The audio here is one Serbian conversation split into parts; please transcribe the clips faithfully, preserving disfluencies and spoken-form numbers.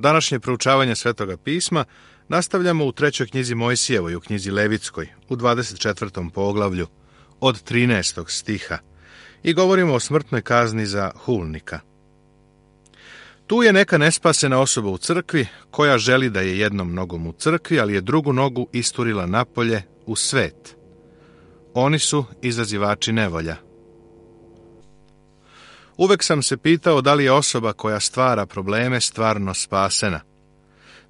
Današnje proučavanje Svetoga pisma nastavljamo u trećoj knjizi Mojsijevoj, u knjizi Levitskoj, u dvadeset četvrtom poglavlju, od trinaestog stiha, i govorimo o smrtnoj kazni za hulnika. Tu je neka nespasena osoba u crkvi, koja želi da je jednom nogom u crkvi, ali je drugu nogu isturila napolje u svet. Oni su izazivači nevolja. Uvek sam se pitao da li je osoba koja stvara probleme stvarno spasena.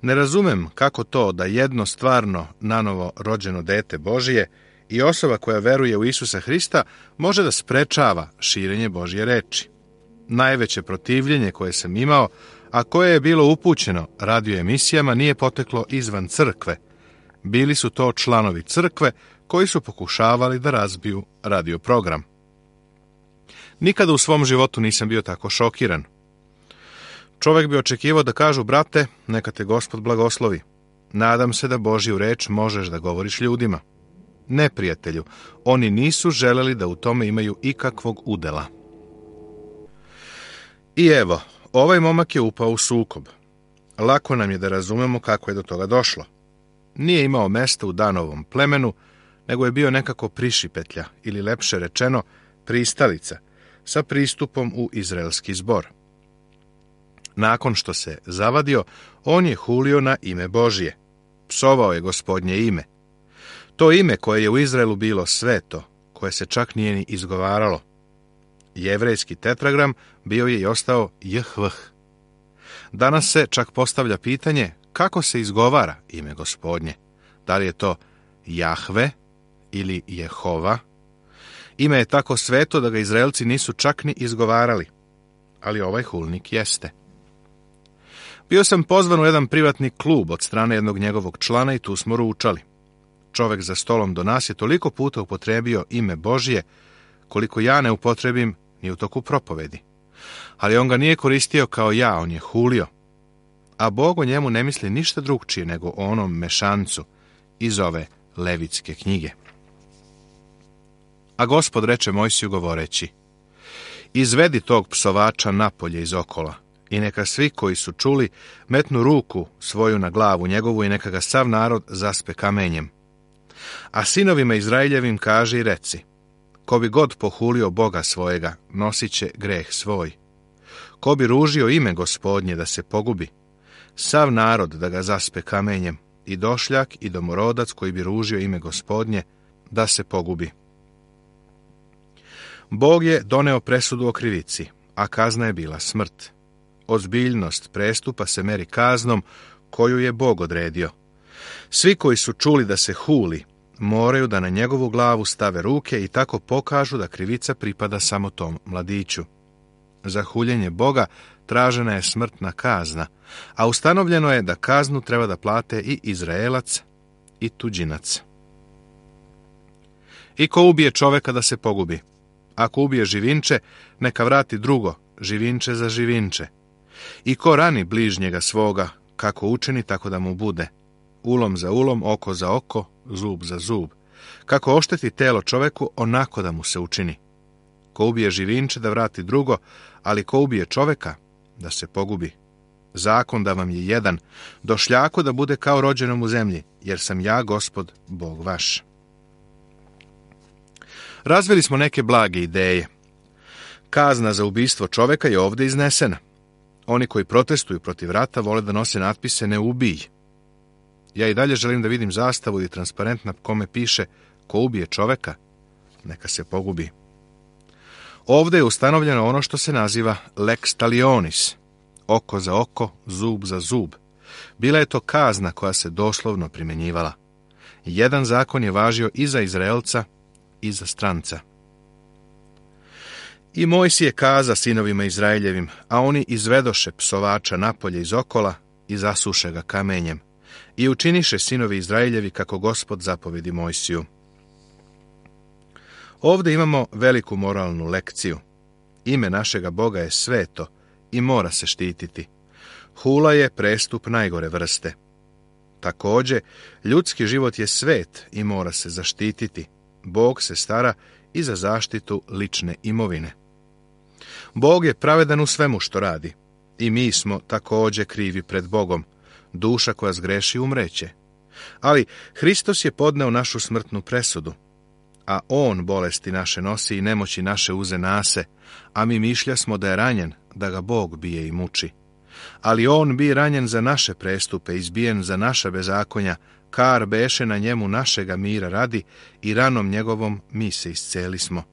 Ne razumem kako to da jedno stvarno nanovo rođeno dete Božije i osoba koja veruje u Isusa Hrista može da sprečava širenje Božje reči. Najveće protivljenje koje sam imao, a koje je bilo upućeno radio emisijama, nije poteklo izvan crkve. Bili su to članovi crkve koji su pokušavali da razbiju radio program. Nikada u svom životu nisam bio tako šokiran. Čovjek bi očekivao da kažu: brate, neka te Gospod blagoslovi. Nadam se da Božju reč možeš da govoriš ljudima. Ne, prijatelju, oni nisu želeli da u tome imaju ikakvog udela. I evo, ovaj momak je upao u sukob. Lako nam je da razumemo kako je do toga došlo. Nije imao mesta u Danovom plemenu, nego je bio nekako prišipetlja, ili lepše rečeno, pristalica, sa pristupom u izraelski zbor. Nakon što se zavadio, on je hulio na ime Božje. Psovao je Gospodnje ime. To ime koje je u Izraelu bilo sveto, koje se čak nije ni izgovaralo. Jevrejski tetragram bio je i ostao Jehvh. Danas se čak postavlja pitanje kako se izgovara ime Gospodnje. Da li je to Jahve ili Jehova? Ime je tako sveto da ga Izraelci nisu čak ni izgovarali. Ali ovaj hulnik jeste. Bio sam pozvan u jedan privatni klub od strane jednog njegovog člana i tu smo ručali. Čovek za stolom do nas je toliko puta upotrebio ime Božje, koliko ja ne upotrebim ni u toku propovedi. Ali on ga nije koristio kao ja, on je hulio. A Bog o njemu ne misli ništa drugčije nego o onom mešancu iz ove Levitske knjige. A Gospod reče Mojsiju govoreći: izvedi tog psovača napolje iz okola, i neka svi koji su čuli metnu ruku svoju na glavu njegovu i neka ga sav narod zaspe kamenjem. A sinovima Izraeljevim kaži i reci: ko bi god pohulio Boga svojega, nosit će greh svoj. Ko bi ružio ime Gospodnje da se pogubi, sav narod da ga zaspe kamenjem, i došljak i domorodac koji bi ružio ime Gospodnje da se pogubi. Bog je doneo presudu o krivici, a kazna je bila smrt. Ozbiljnost prestupa se meri kaznom koju je Bog odredio. Svi koji su čuli da se huli, moraju da na njegovu glavu stave ruke i tako pokažu da krivica pripada samo tom mladiću. Za huljenje Boga tražena je smrtna kazna, a ustanovljeno je da kaznu treba da plate i Izraelac i tuđinac. I ko ubije čoveka da se pogubi? Ako ubije živinče, neka vrati drugo, živinče za živinče. I ko rani bližnjega svoga, kako učini, tako da mu bude. Ulom za ulom, oko za oko, zub za zub. Kako ošteti telo čoveku, onako da mu se učini. Ko ubije živinče, da vrati drugo, ali ko ubije čoveka, da se pogubi. Zakon da vam je jedan, došljako da bude kao rođenom u zemlji, jer sam ja, Gospod, Bog vaš. Razvili smo neke blage ideje. Kazna za ubistvo čoveka je ovdje iznesena. Oni koji protestuju protiv rata vole da nose natpise ne ubij. Ja i dalje želim da vidim zastavu ili transparent na kome piše ko ubije čoveka, neka se pogubi. Ovdje je ustanovljeno ono što se naziva lex talionis, oko za oko, zub za zub. Bila je to kazna koja se doslovno primjenjivala. Jedan zakon je važio i za Izraelca i za stranca. I Mojsije kaza sinovima Izraeljevim, a oni izvedoše psovača napolje iz okola i zasuše ga kamenjem. I učiniše sinovi Izraeljevi kako Gospod zapovedi Mojsiju. Ovdje imamo veliku moralnu lekciju. Ime našega Boga je sveto i mora se štititi. Hula je prestup najgore vrste. Također, ljudski život je svet i mora se zaštititi. Bog se stara i za zaštitu lične imovine. Bog je pravedan u svemu što radi. I mi smo također krivi pred Bogom. Duša koja zgreši umreće. Ali Hristos je podneo našu smrtnu presudu, a on bolesti naše nosi i nemoći naše uze nase, a mi mišlja smo da je ranjen, da ga Bog bije i muči. Ali on bi ranjen za naše prestupe, izbijen za naša bezakonja, kar beše na njemu našega mira radi i ranom njegovom mi se isceli smo.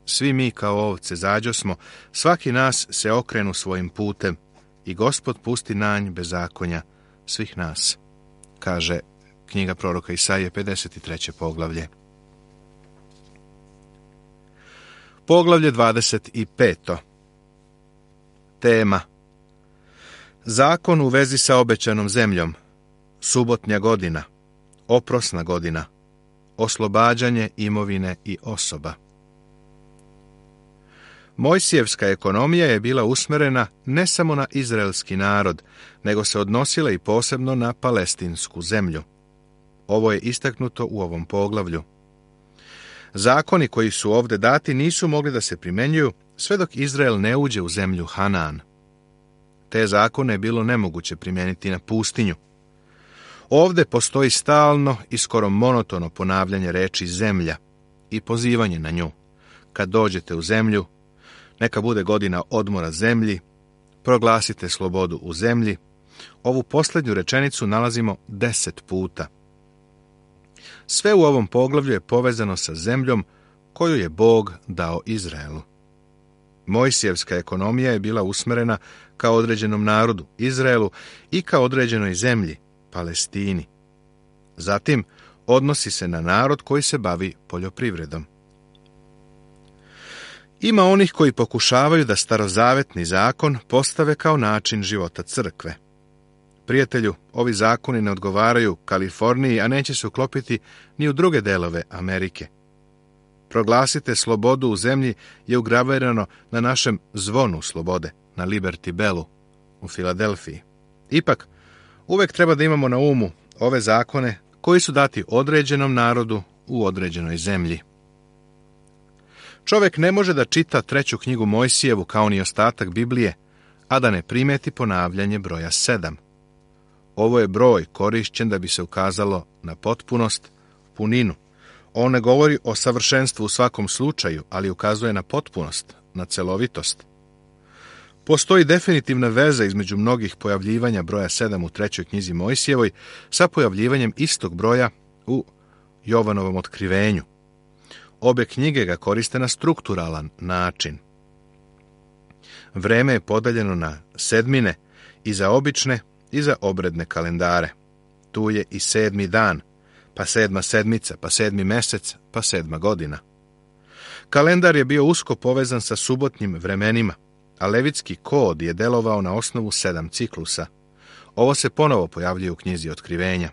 Svi mi kao ovce zađosmo, svaki nas se okrenu svojim putem i Gospod pusti nanj bezakonja svih nas, kaže knjiga proroka Isaije, pedeset treće poglavlje. Poglavlje dvadeset pet. Tema: Zakon u vezi sa obećanom zemljom, subotnja godina, oprosna godina, oslobađanje imovine i osoba. Mojsijevska ekonomija je bila usmjerena ne samo na izraelski narod, nego se odnosila i posebno na palestinsku zemlju. Ovo je istaknuto u ovom poglavlju. Zakoni koji su ovdje dati nisu mogli da se primjenjuju sve dok Izrael ne uđe u zemlju Hanaan. Te zakone je bilo nemoguće primijeniti na pustinju. Ovdje postoji stalno i skoro monotono ponavljanje reči zemlja i pozivanje na nju. Kad dođete u zemlju, neka bude godina odmora zemlji, proglasite slobodu u zemlji. Ovu posljednju rečenicu nalazimo deset puta. Sve u ovom poglavlju je povezano sa zemljom koju je Bog dao Izraelu. Mojsijevska ekonomija je bila usmjerena ka određenom narodu, Izraelu, i ka određenoj zemlji, Palestini. Zatim, odnosi se na narod koji se bavi poljoprivredom. Ima onih koji pokušavaju da starozavetni zakon postave kao način života crkve. Prijatelju, ovi zakoni ne odgovaraju Kaliforniji, a neće se uklopiti ni u druge delove Amerike. Proglasite slobodu u zemlji je ugravirano na našem zvonu slobode, na Liberty Bellu u Filadelfiji. Ipak, uvek treba da imamo na umu ove zakone koji su dati određenom narodu u određenoj zemlji. Čovjek ne može da čita treću knjigu Mojsijevu kao ni ostatak Biblije, a da ne primeti ponavljanje broja sedam. Ovo je broj korišćen da bi se ukazalo na potpunost, puninu. On ne govori o savršenstvu u svakom slučaju, ali ukazuje na potpunost, na celovitost. Postoji definitivna veza između mnogih pojavljivanja broja sedam u trećoj knjizi Mojsijevoj sa pojavljivanjem istog broja u Jovanovom otkrivenju. Obe knjige ga koriste na strukturalan način. Vreme je podeljeno na sedmine i za obične i za obredne kalendare. Tu je i sedmi dan, pa sedma sedmica, pa sedmi mesec, pa sedma godina. Kalendar je bio usko povezan sa subotnjim vremenima, a levitski kod je delovao na osnovu sedam ciklusa. Ovo se ponovo pojavljuje u knjizi Otkrivenja.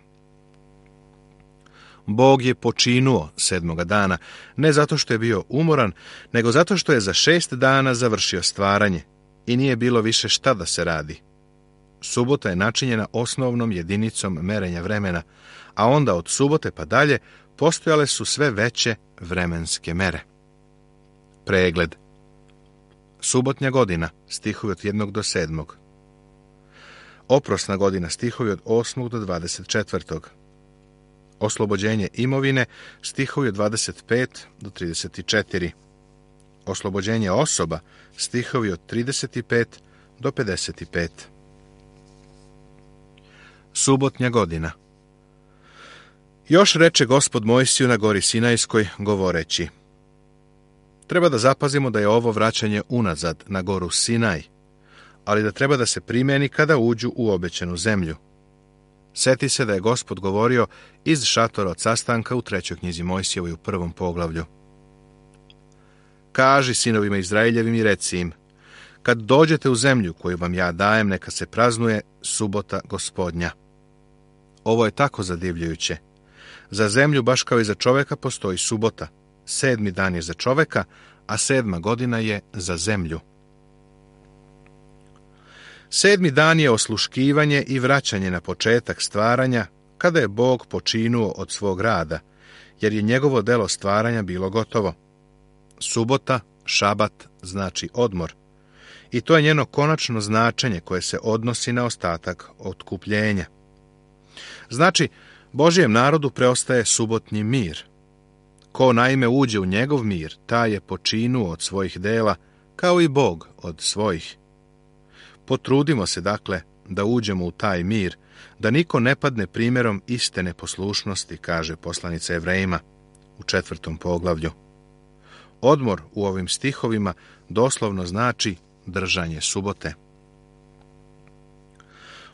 Bog je počinuo sedmoga dana, ne zato što je bio umoran, nego zato što je za šest dana završio stvaranje i nije bilo više šta da se radi. Subota je načinjena osnovnom jedinicom merenja vremena, a onda od subote pa dalje postojale su sve veće vremenske mere. Pregled. Subotnja godina, stihovi od jednog do sedmog. Oprosna godina, stihovi od osmog do dvadeset četvrtog. Oslobođenje imovine, stihovi od dvadeset pet do trideset četiri. Oslobođenje osoba, stihovi od trideset pet do pedeset pet. Subotnja godina. Još reče Gospod Mojsiju na gori Sinajskoj, govoreći: treba da zapazimo da je ovo vraćanje unazad na goru Sinaj, ali da treba da se primeni kada uđu u obećanu zemlju. Seti se da je Gospod govorio iz šatora od sastanka u trećoj knjizi Mojsijevoj u prvom poglavlju. Kaži sinovima Izraeljevim i reci im: kad dođete u zemlju koju vam ja dajem, neka se praznuje subota Gospodnja. Ovo je tako zadivljujuće. Za zemlju, baš kao i za čoveka, postoji subota. Sedmi dan je za čoveka, a sedma godina je za zemlju. Sedmi dan je osluškivanje i vraćanje na početak stvaranja, kada je Bog počinuo od svog rada, jer je njegovo delo stvaranja bilo gotovo. Subota, šabat, znači odmor. I to je njeno konačno značenje koje se odnosi na ostatak otkupljenja. Znači, Božjem narodu preostaje subotnji mir. Ko naime uđe u njegov mir, taj je počinuo od svojih dela, kao i Bog od svojih. Potrudimo se, dakle, da uđemo u taj mir, da niko ne padne primjerom iste neposlušnosti, kaže poslanica Evrejima u četvrtom poglavlju. Odmor u ovim stihovima doslovno znači držanje subote.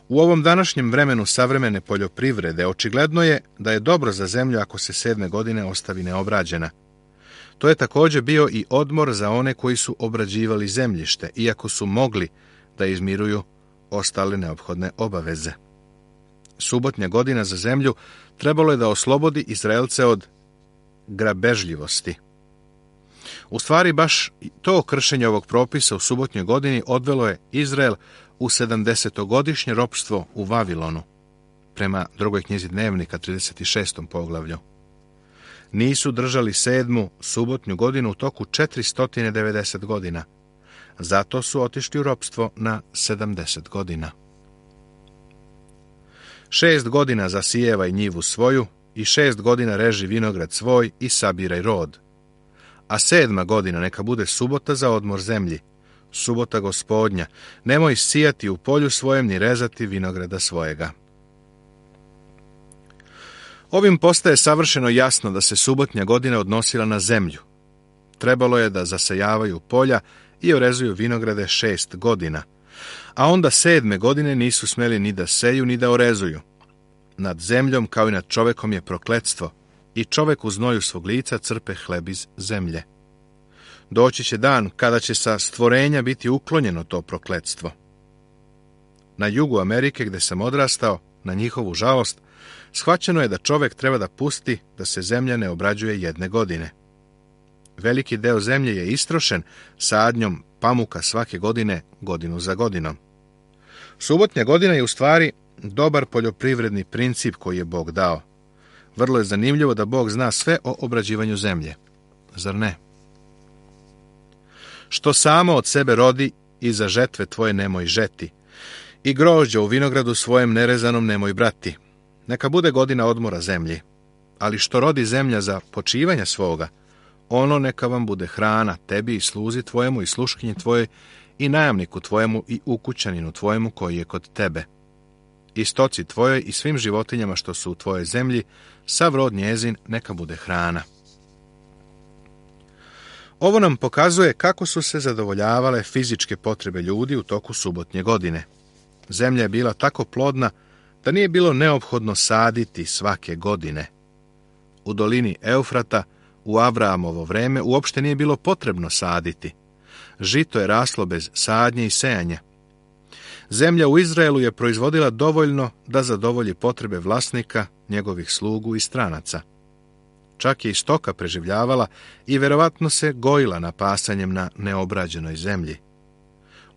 U ovom današnjem vremenu savremene poljoprivrede očigledno je da je dobro za zemlju ako se sedme godine ostavi neobrađena. To je također bio i odmor za one koji su obrađivali zemljište, iako su mogli da izmiruju ostale neophodne obaveze. Subotnja godina za zemlju trebalo je da oslobodi Izraelce od grabežljivosti. U stvari, baš to kršenje ovog propisa u subotnjoj godini odvelo je Izrael u sedamdesetogodišnje ropstvo u Vavilonu, prema drugoj knjizi Dnevnika, trideset šestom poglavlju. Nisu držali sedmu subotnju godinu u toku četiristo devedeset godina. Zato su otišli u ropstvo na sedamdeset godina. Šest godina zasijevaj njivu svoju i šest godina reži vinograd svoj i sabiraj rod. A sedma godina neka bude subota za odmor zemlji, subota Gospodnja, nemoj sijati u polju svojem ni rezati vinograda svojega. Ovim postaje savršeno jasno da se subotnja godina odnosila na zemlju. Trebalo je da zasejavaju polja i orezuju vinograde šest godina, a onda sedme godine nisu smeli ni da seju ni da orezuju. Nad zemljom kao i nad čovekom je prokletstvo, i čovek u znoju svog lica crpe hleb iz zemlje. Doći će dan kada će sa stvorenja biti uklonjeno to prokletstvo. Na jugu Amerike, gde sam odrastao, na njihovu žalost, shvaćeno je da čovek treba da pusti da se zemlja ne obrađuje jedne godine. Veliki deo zemlje je istrošen sadnjom pamuka svake godine, godinu za godinom. Subotnja godina je u stvari dobar poljoprivredni princip koji je Bog dao. Vrlo je zanimljivo da Bog zna sve o obrađivanju zemlje. Zar ne? Što samo od sebe rodi, i za žetve tvoje nemoj žeti, i grožđa u vinogradu svojem nerezanom nemoj brati. Neka bude godina odmora zemlji, ali što rodi zemlja za počivanja svoga, ono neka vam bude hrana tebi i sluzi tvojemu i sluškinji tvojoj i najamniku tvojemu i ukućaninu tvojemu koji je kod tebe. I stoci tvojoj i svim životinjama što su u tvojoj zemlji, sav rod njezin neka bude hrana. Ovo nam pokazuje kako su se zadovoljavale fizičke potrebe ljudi u toku subotnje godine. Zemlja je bila tako plodna da nije bilo neophodno saditi svake godine. U dolini Eufrata, u Abrahamovo vreme, uopšte nije bilo potrebno saditi. Žito je raslo bez sadnje i sejanja. Zemlja u Izraelu je proizvodila dovoljno da zadovolji potrebe vlasnika, njegovih slugu i stranaca. Čak je i stoka preživljavala i verovatno se gojila napasanjem na neobrađenoj zemlji.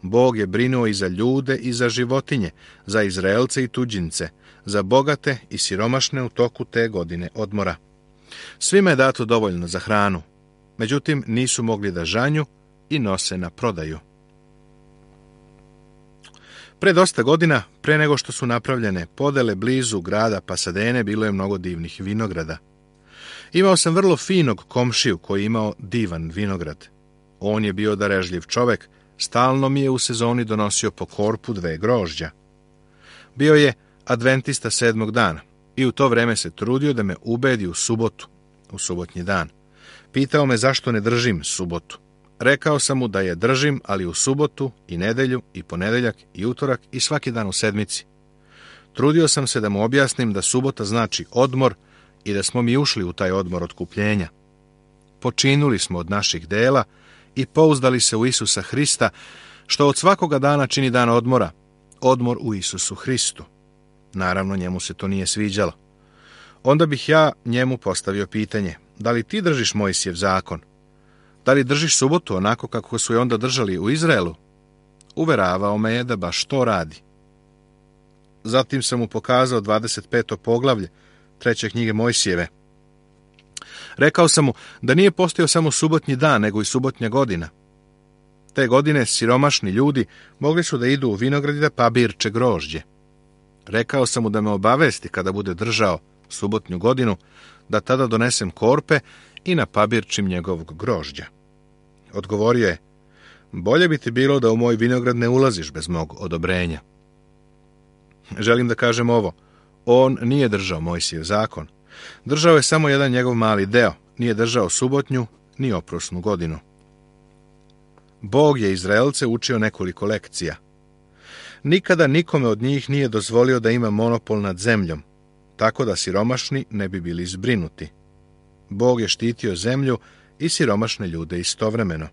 Bog je brinuo i za ljude i za životinje, za Izraelce i tuđince, za bogate i siromašne u toku te godine odmora. Svima je dato dovoljno za hranu, međutim nisu mogli da žanju i nose na prodaju. Pre dosta godina, pre nego što su napravljene podele blizu grada Pasadene, bilo je mnogo divnih vinograda. Imao sam vrlo finog komšiju koji je imao divan vinograd. On je bio darežljiv čovek, stalno mi je u sezoni donosio po korpu dve grožđa. Bio je adventista sedmog dana i u to vreme se trudio da me ubedi u subotu, u subotnji dan. Pitao me zašto ne držim subotu. Rekao sam mu da je držim, ali u subotu i nedelju i ponedeljak i utorak i svaki dan u sedmici. Trudio sam se da mu objasnim da subota znači odmor i da smo mi ušli u taj odmor otkupljenja. Počinuli smo od naših dela i pouzdali se u Isusa Hrista, što od svakoga dana čini dan odmora, odmor u Isusu Hristu. Naravno, njemu se to nije sviđalo. Onda bih ja njemu postavio pitanje, da li ti držiš Mojsijev zakon? Da li držiš subotu onako kako su je onda držali u Izraelu? Uveravao me je da baš to radi. Zatim sam mu pokazao dvadeset peto poglavlje treće knjige Mojsijeve. Rekao sam mu da nije postojao samo subotnji dan, nego i subotnja godina. Te godine siromašni ljudi mogli su da idu u vinograd da pabirče grožđe. Rekao sam mu da me obavesti kada bude držao subotnju godinu, da tada donesem korpe i napabirčim njegovog grožđa. Odgovorio je, bolje bi ti bilo da u moj vinograd ne ulaziš bez mog odobrenja. Želim da kažem ovo, on nije držao Mojsijev zakon. Držao je samo jedan njegov mali deo, nije držao subotnju ni oprosnu godinu. Bog je Izraelce učio nekoliko lekcija. Nikada nikome od njih nije dozvolio da ima monopol nad zemljom, tako da siromašni ne bi bili zbrinuti. Bog je štitio zemlju i siromašne ljude istovremeno.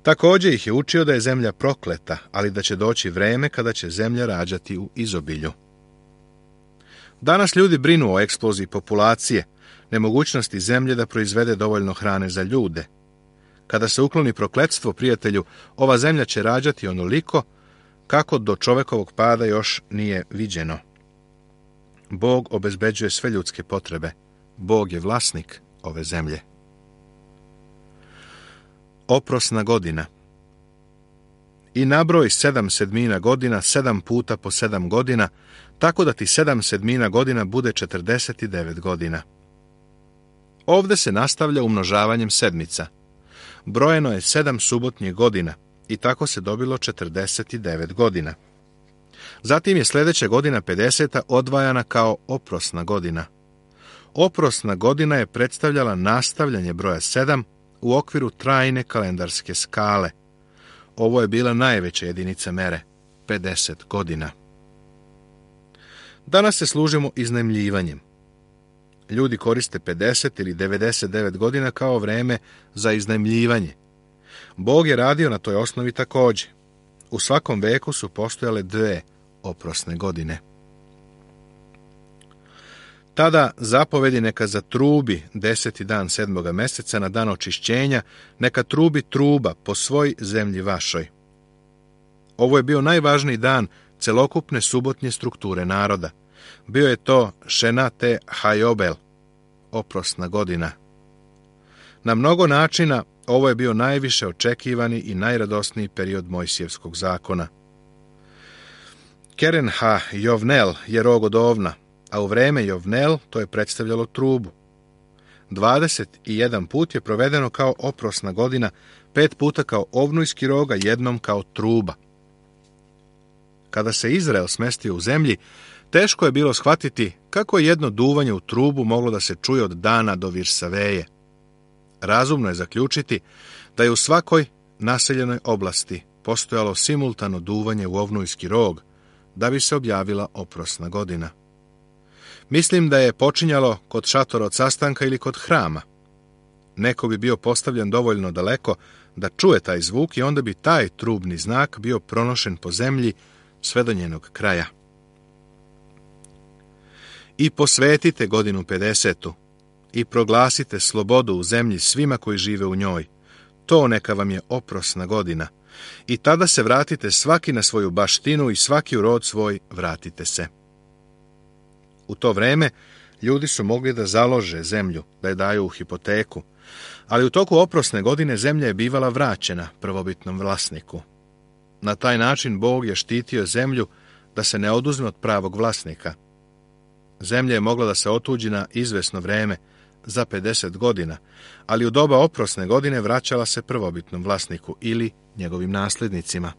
Također ih je učio da je zemlja prokleta, ali da će doći vreme kada će zemlja rađati u izobilju. Danas ljudi brinu o eksploziji populacije, nemogućnosti zemlje da proizvede dovoljno hrane za ljude. Kada se ukloni prokletstvo, prijatelju, ova zemlja će rađati onoliko kako do čovekovog pada još nije viđeno. Bog obezbeđuje sve ljudske potrebe. Bog je vlasnik ove zemlje. Oprosna godina. I nabroj sedam sedmina godina, sedam puta po sedam godina, tako da ti sedam sedmina godina bude četrdeset devet godina. Ovde se nastavlja umnožavanjem sedmica. Brojeno je sedam subotnjih godina i tako se dobilo četrdeset devet godina. Zatim je sljedeća godina pedeseta odvajana kao oprosna godina. Oprosna godina je predstavljala nastavljanje broja sedam u okviru trajne kalendarske skale. Ovo je bila najveća jedinica mere, pedeset godina. Danas se služimo iznajmljivanjem. Ljudi koriste pedeset ili devedeset devet godina kao vreme za iznajmljivanje. Bog je radio na toj osnovi također. U svakom veku su postojale dve oprosne godine. Tada zapovedi neka zatrubi deseti dan sedmoga meseca na dan očišćenja, neka trubi truba po svoj zemlji vašoj. Ovo je bio najvažniji dan celokupne subotnje strukture naroda. Bio je to Šenate Hajobel, oprosna godina. Na mnogo načina ovo je bio najviše očekivani i najradosniji period Mojsijevskog zakona. Kerenha Jovnel je rog od ovna, a u vreme Jovnel to je predstavljalo trubu. dvadeset jedan put je provedeno kao oprosna godina, pet puta kao ovnujski roga, jednom kao truba. Kada se Izrael smestio u zemlji, teško je bilo shvatiti kako je jedno duvanje u trubu moglo da se čuje od Dana do Virsaveje. Razumno je zaključiti da je u svakoj naseljenoj oblasti postojalo simultano duvanje u ovnujski rog, da bi se objavila oprosna godina. Mislim da je počinjalo kod šatora od sastanka ili kod hrama. Neko bi bio postavljen dovoljno daleko da čuje taj zvuk i onda bi taj trubni znak bio pronošen po zemlji sve do njenog kraja. I posvetite godinu pedesetu i proglasite slobodu u zemlji svima koji žive u njoj. To neka vam je oprosna godina. I tada se vratite svaki na svoju baštinu i svaki u rod svoj vratite se. U to vreme ljudi su mogli da založe zemlju, da je daju u hipoteku, ali u toku oprosne godine zemlja je bivala vraćena prvobitnom vlasniku. Na taj način Bog je štitio zemlju da se ne oduzme od pravog vlasnika. Zemlja je mogla da se otuđi na izvesno vreme, za pedeset godina, ali u doba oprosne godine vraćala se prvobitnom vlasniku ili njegovim nasljednicima.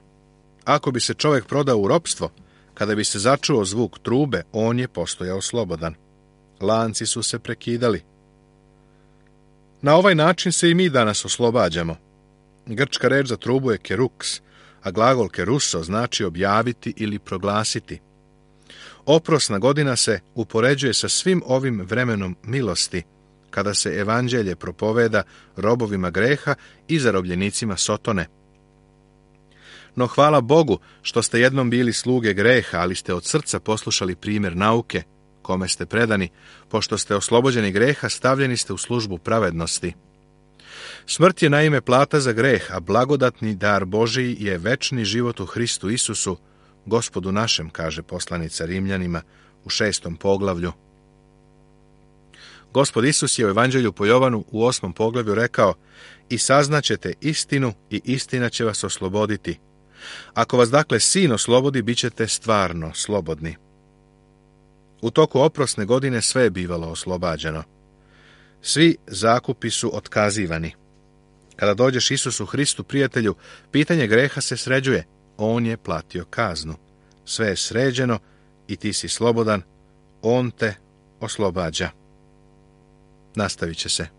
Ako bi se čovjek prodao u ropstvo, kada bi se začuo zvuk trube, on je postojao slobodan. Lanci su se prekidali. Na ovaj način se i mi danas oslobađamo. Grčka reč za trubu je keruks, a glagol keruso znači objaviti ili proglasiti. Oprosna godina se upoređuje sa svim ovim vremenom milosti, kada se evanđelje propoveda robovima greha i zarobljenicima Sotone. No hvala Bogu što ste jednom bili sluge greha, ali ste od srca poslušali primjer nauke, kome ste predani, pošto ste oslobođeni greha, stavljeni ste u službu pravednosti. Smrt je naime plata za greh, a blagodatni dar Božiji je večni život u Hristu Isusu, Gospodu našem, kaže poslanica Rimljanima u šestom poglavlju. Gospod Isus je u Evanđelju po Jovanu u osmom poglavlju rekao: i saznaćete istinu i istina će vas osloboditi. Ako vas dakle Sin oslobodi, bit ćete stvarno slobodni. U toku oprosne godine sve je bivalo oslobađano. Svi zakupi su otkazivani. Kada dođeš Isusu Hristu, prijatelju, pitanje greha se sređuje. On je platio kaznu. Sve je sređeno i ti si slobodan. On te oslobađa. Nastavit će se.